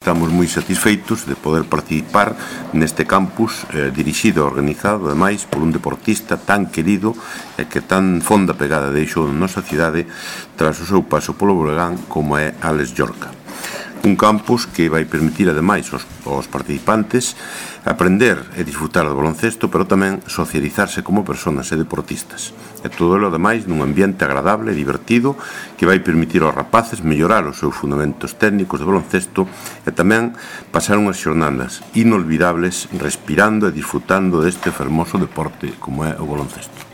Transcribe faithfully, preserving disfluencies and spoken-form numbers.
Estamos moi satisfeitos de poder participar neste campus eh, dirixido e organizado, ademais, por un deportista tan querido e que tan fonda pegada deixou na nosa cidade tras o seu paso polo Breogán como é Álex Llorca. Un campus que vai permitir, ademais, aos, aos participantes aprender e disfrutar do baloncesto, pero tamén socializarse como personas e deportistas. E todo o ademais nun ambiente agradable e divertido que vai permitir aos rapaces mellorar os seus fundamentos técnicos de baloncesto e tamén pasar unhas xornadas inolvidables respirando e disfrutando deste fermoso deporte como é o baloncesto.